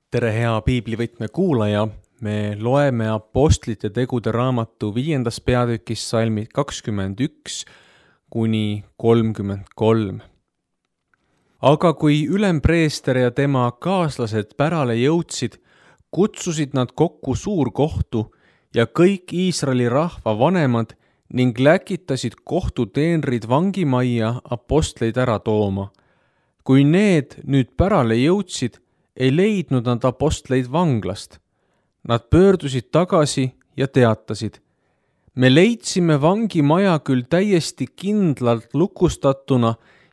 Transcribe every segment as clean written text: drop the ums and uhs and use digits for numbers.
Tere hea piiblivõtme kuulaja, me loeme Apostlite tegude raamatu 5. peatükis salmid 21 kuni 33. Aga kui ülempreester ja tema kaaslased pärale jõudsid, kutsusid nad kokku suurkohtu ja kõik Iisraeli rahva vanemad ning läkitasid kohtuteenrid vangimajja apostleid ära tooma. Kui need nüüd pärale jõudsid, ei leidnud nad apostleid vanglast. Nad pöördusid tagasi ja teatasid: me leidsime vangimaja küll täiesti kindlalt lukustatuna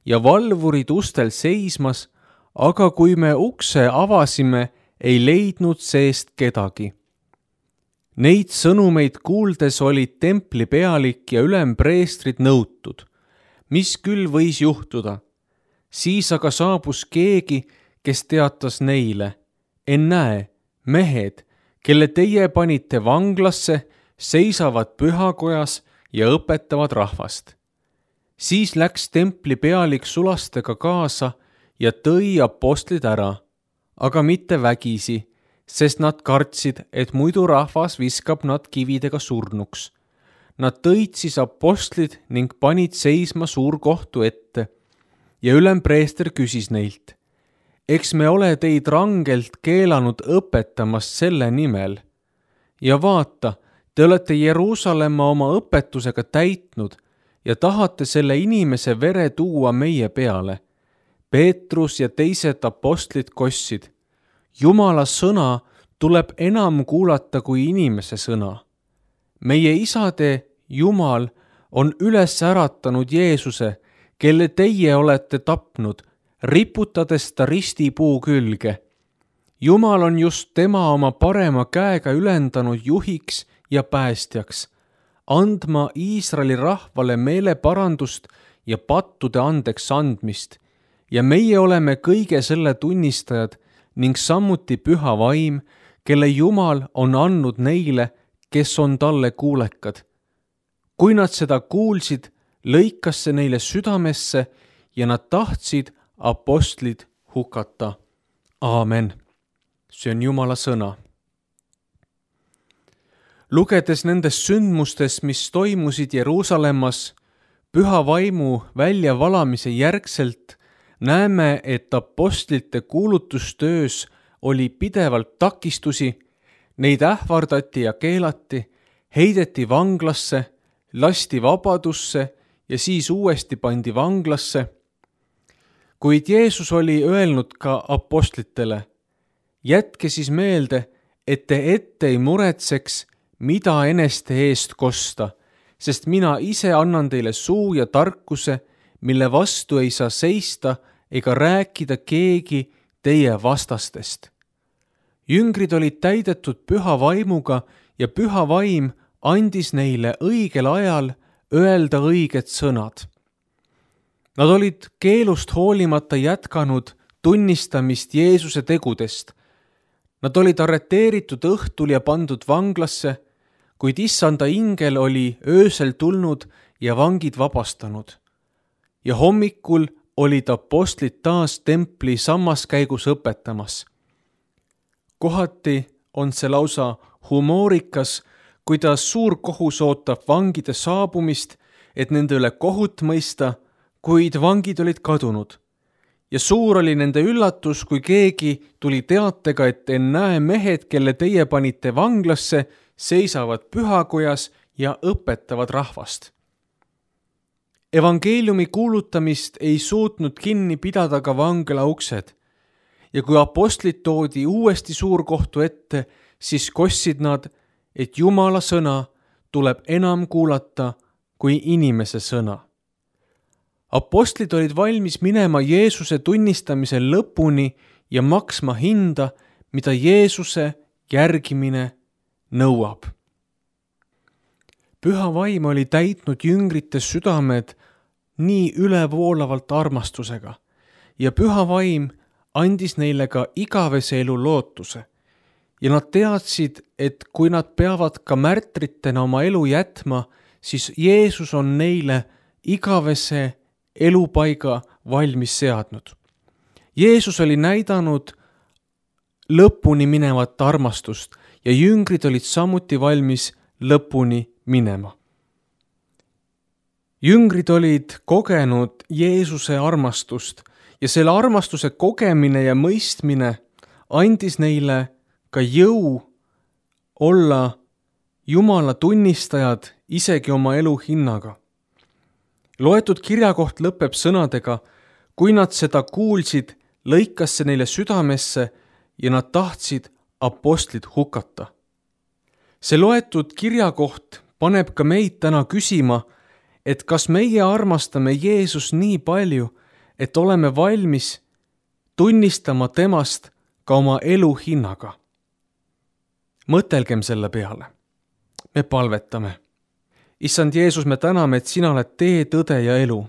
ja valvurid ustel seismas, aga kui me ukse avasime, ei leidnud seest kedagi. Neid sõnumeid kuuldes olid templi pealik ja ülempreestrid nõutud. Mis küll võis juhtuda? Siis aga saabus keegi, kes teatas neile: ennäe, mehed, kelle teie panite vanglasse, seisavad pühakojas ja õpetavad rahvast. Siis läks templi pealik sulastega kaasa ja tõi apostlid ära, aga mitte vägisi, sest nad kartsid, et muidu rahvas viskab nad kividega surnuks. Nad tõid siis apostlid ning panid seisma suurkohtu ette ja ülempreester küsis neilt: eks me ole teid rangelt keelanud õpetamast selle nimel. Ja vaata, te olete Jeruusalemma oma õpetusega täitnud ja tahate selle inimese vere tuua meie peale. Peetrus ja teised apostlid kossid: Jumala sõna tuleb enam kuulata kui inimese sõna. Meie isade Jumal on üles äratanud Jeesuse, kelle teie olete tapnud, riputades ta ristipuu külge. Jumal on just tema oma parema käega ülendanud juhiks ja päästjaks, andma Iisraeli rahvale meeleparandust ja pattude andeks andmist, ja meie oleme kõige selle tunnistajad ning samuti püha vaim, kelle Jumal on andnud neile, kes on talle kuulekad. Kui nad seda kuulsid, lõikas see neile südamesse ja nad tahtsid apostlid hukata. Aamen. See on Jumala sõna. Lugedes nendest sündmustest, mis toimusid Jeruusalemmas püha vaimu väljavalamise järgselt, näeme, et apostlite kuulutustöös oli pidevalt takistusi, neid ähvardati ja keelati, heideti vanglasse, lasti vabadusse ja siis uuesti pandi vanglasse. Kuid Jeesus oli öelnud ka apostlitele: jätke siis meelde, et te ette ei muretseks, mida eneste eest kosta, sest mina ise annan teile suu ja tarkuse, mille vastu ei saa seista ega rääkida keegi teie vastastest. Jüngrid olid täidetud püha vaimuga ja püha vaim andis neile õigel ajal öelda õiged sõnad. Nad olid keelust hoolimata jätkanud tunnistamist Jeesuse tegudest. Nad olid arreteeritud õhtul ja pandud vanglasse, kuid issanda ingel oli öösel tulnud ja vangid vabastanud. Ja hommikul olid apostlid taas templi sammaskäigus õpetamas. Kohati on see lausa humoorikas, kuidas suur kohus ootab vangide saabumist, et nende üle kohut mõista, kuid vangid olid kadunud. Ja suur oli nende üllatus, kui keegi tuli teatega, et ennäe, mehed, kelle teie panite vanglasse, seisavad pühakojas ja õpetavad rahvast. Evangeeliumi kuulutamist ei suutnud kinni pidada ka vangla uksed. Ja kui apostlid toodi uuesti suurkohtu ette, siis kossid nad, et Jumala sõna tuleb enam kuulata kui inimese sõna. Apostlid olid valmis minema Jeesuse tunnistamisel lõpuni ja maksma hinda, mida Jeesuse järgimine nõuab. Püha vaim oli täitnud jüngrite südamed nii ülevoolavalt armastusega ja püha vaim andis neile ka igavese elu lootuse. Ja nad teadsid, et kui nad peavad ka märtritena oma elu jätma, siis Jeesus on neile igavese elupaiga valmis seadnud. Jeesus oli näidanud lõpuni minevat armastust ja jüngrid olid samuti valmis lõpuni minema. Jüngrid olid kogenud Jeesuse armastust ja selle armastuse kogemine ja mõistmine andis neile ka jõu olla Jumala tunnistajad isegi oma elu hinnaga. Loetud kirjakoht lõpeb sõnadega, kui nad seda kuulsid, lõikas see neile südamesse ja nad tahtsid apostlid hukata. See loetud kirjakoht paneb ka meid täna küsima, et kas meie armastame Jeesus nii palju, et oleme valmis tunnistama temast ka oma elu hinnaga. Mõtelgem selle peale. Me palvetame. Issand Jeesus, me täname, et sina oled tee, tõde ja elu,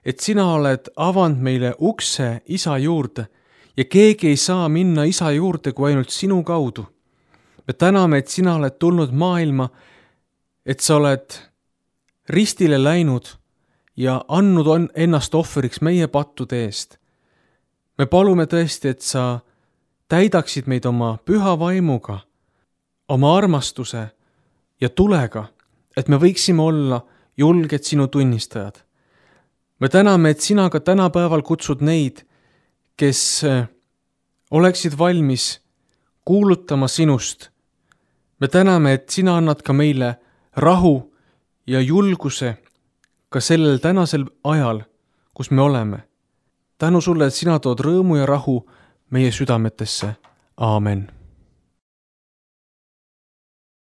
et sina oled avanud meile ukse Isa juurde ja keegi ei saa minna Isa juurde kui ainult sinu kaudu. Me täname, et sina oled tulnud maailma, et sa oled ristile läinud ja andnud ennast ohvriks meie pattude eest. Me palume tõesti, et sa täidaksid meid oma püha vaimuga, oma armastuse ja tulega, et me võiksime olla julged sinu tunnistajad. Me täname, et sina ka tänapäeval kutsud neid, kes oleksid valmis kuulutama sinust. Me täname, et sina annad ka meile rahu ja julguse ka sellel tänasel ajal, kus me oleme. Tänu sulle, et sina tood rõõmu ja rahu meie südametesse. Aamen.